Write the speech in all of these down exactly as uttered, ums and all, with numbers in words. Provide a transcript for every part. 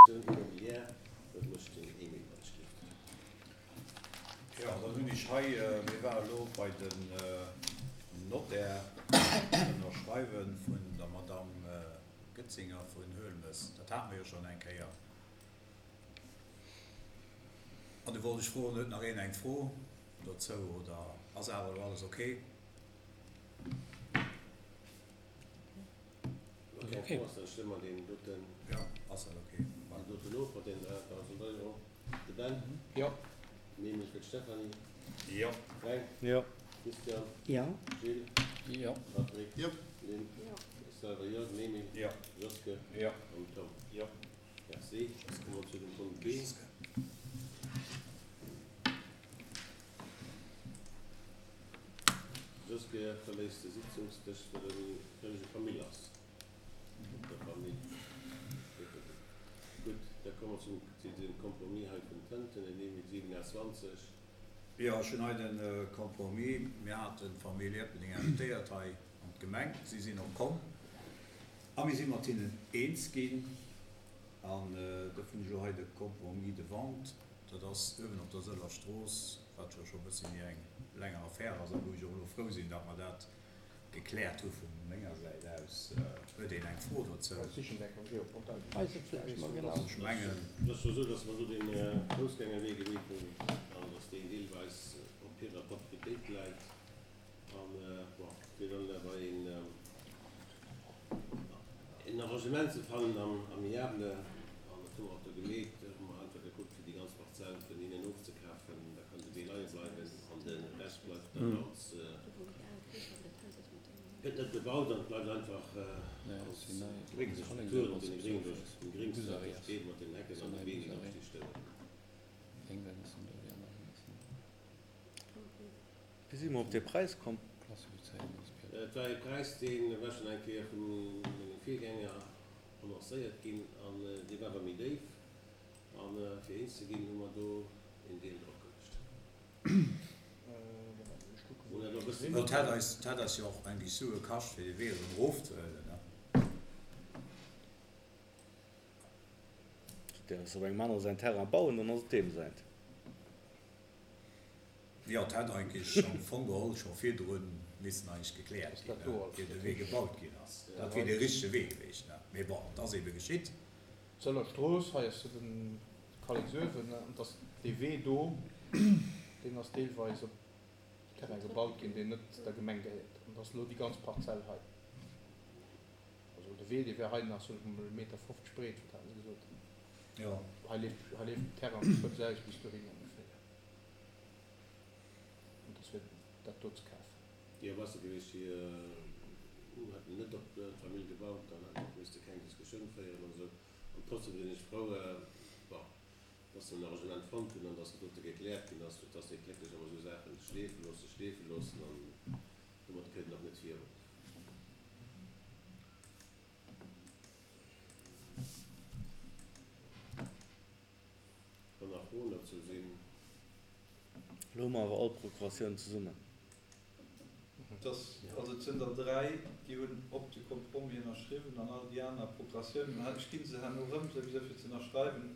Immobilière, dat mécht den Emile wann ech gelift. Jo, dann hunn ech hei, mir ware elo bei den Notaire ënnerschreiwe vun der Madame Goetzinger vun Huelmes. Dat hate mer jo schonn eng Kéier. An du wollt ech froen, huet nach een eng Fro dozou oder ass awer elo alles okay? Wa keng Fro ass, da stëmme mer deen doten. Jo, ass dat okay. Deen doten of mat deenen dräitausend Euro. De Ben? Jo. Den Emile fir d'Stéphanie? Jo. Fränk? Jo. Christian? Jo. Gilles? Jo. Patrick? Jo. Lynn? Jo. Ech selwer jo. Den Emile? Jo. Joske? Jo. An den Tom? Jo. Merci. Da komme mer zu dem Punkt B. Joske verléisst de Sitzungsdësch, well en vëllege Famill ass. Op der Famill. Gutt, da komme mer zum zu dem Compromis hei vun Tënten, den Emile siwenundzwanzeg. Jo, ech hunn hei de Compromis. Mir haten d'Famill Ierpeldeng invitéiert hei an d'Gemeng. Si sinn och komm a mir si mat hinnen eens ginn. An dofir hunn ech elo hei de Compromis de vente. Dat ass uewen op der Sëller Strooss, wat jo scho e bësse méi eng länger Affär ass a wou ech och elo frou sinn, datt mer dat gekläert hu vu menger Säit aus. Huet een eng Fro dozou? Weis et vläicht mol genau. Ech mengen. Et ass jo esou, datt mer do dee Foussgängerwee gemeet hunn an datt deen deelweis op hirer Proprietéit läit. An, bon, fir dann awer een, een Arrangement ze fannen am amiable, an dat hu mer och do gemeet, hu mer einfach gekuckt, fir déi ganz Parzell vun hinnen ofzekafen. Da kann de Wee leie bleiwen an de Rescht bleift dann als, gëtt net bebaut an bleift einfach als Struktur mat deene Gréng, dem Gréngs, wat do steet, mat den Hecken an de Beem, déi do sti stoungen. Wéi si mer op dee Präis komm? Et war ee Präis, dee war schonn eng Kéier vu menge Virgänger annoncéiert ginn an dee war awer méi déif. A fir eens ze ginn, hu mer do een Deel dropgeluecht. Hunn dat och e bëssen. Et hätt eis, et hätt eis jo och eng Sue kascht, fir dee Wee erëm erofzehuelen, ne? Du däerfs op engem anere säin Terrain bauen, dann ass et deem säint. Jo, et hätt eigentlech am Fong geholl scho virdru missen eigentlech gekläert ginn, ier de Wee gebaut ginn ass. Dat wier dee richtege Wee gewiescht, ne? Mee bon, et ass ebe geschitt. D'Sëller Strooss, hei ass jo de Kalléksuewen, ne? An et ass dee Wee do, deen ass deelweis op Terrain gebaut ginn, deen net der Gemeng gehéiert. An et ass elo déi ganz Parzell hei. Also de Wee, dee wär hei nach, soen ech mol, e Meter fofzeg breet, wat haten se gesot? Jo. Hei leeft, hei leeft den Terrain vun Schwëbs aus bis dohin ongeféier. An dass fir dat do ze kafen. Jo, besser gewiescht, si hätten net op d'Famill gebaut, dann hätte mer och misste keng Diskussioun féieren an esou. An trotzdem sinn ech frou, bon, dass se en Arrangement fonnt hunn an dass dat dote gekläert ginn ass, fir dass déi Klécklech ëmmer esou Saache schleefe loossen, schleefe loossen an domat kënnt een och net virun. Wann nach Froen dozou sinn. Elo hu mer awer all Procuratiounen zesummen. Dass, also et sinn der dräi, déi hunn op de Compromis ënnerschriwwen an all déi aner Procuratiounen, ech gi se herno erëm souwisou fir ze ënnerschreiwen,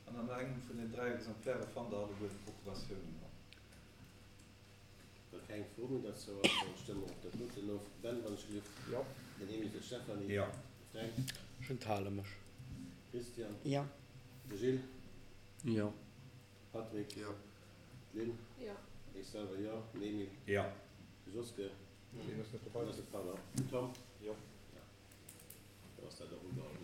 an an engem vun den dräi Exemplaire fannt Der alleguer d'Procuratiounen erëm. Wa keng Fro méi derzou ass, dann stëmme mer och dat doten of. Ben, wann ech gelift. Jo. Den Emile fir d'Stéphanie. Jo. De Fränk. Ech enthale mech. Christian. Jo. De Gilles. Jo. Patrick. Jo. D'Lynn. Jo. Ech selwer jo. Den Emile. Jo. De Joske. Deen ass net dobei. Deen ass net, pardon. Den Tom. Jo. Ja. Dann ass dat och ugeholl.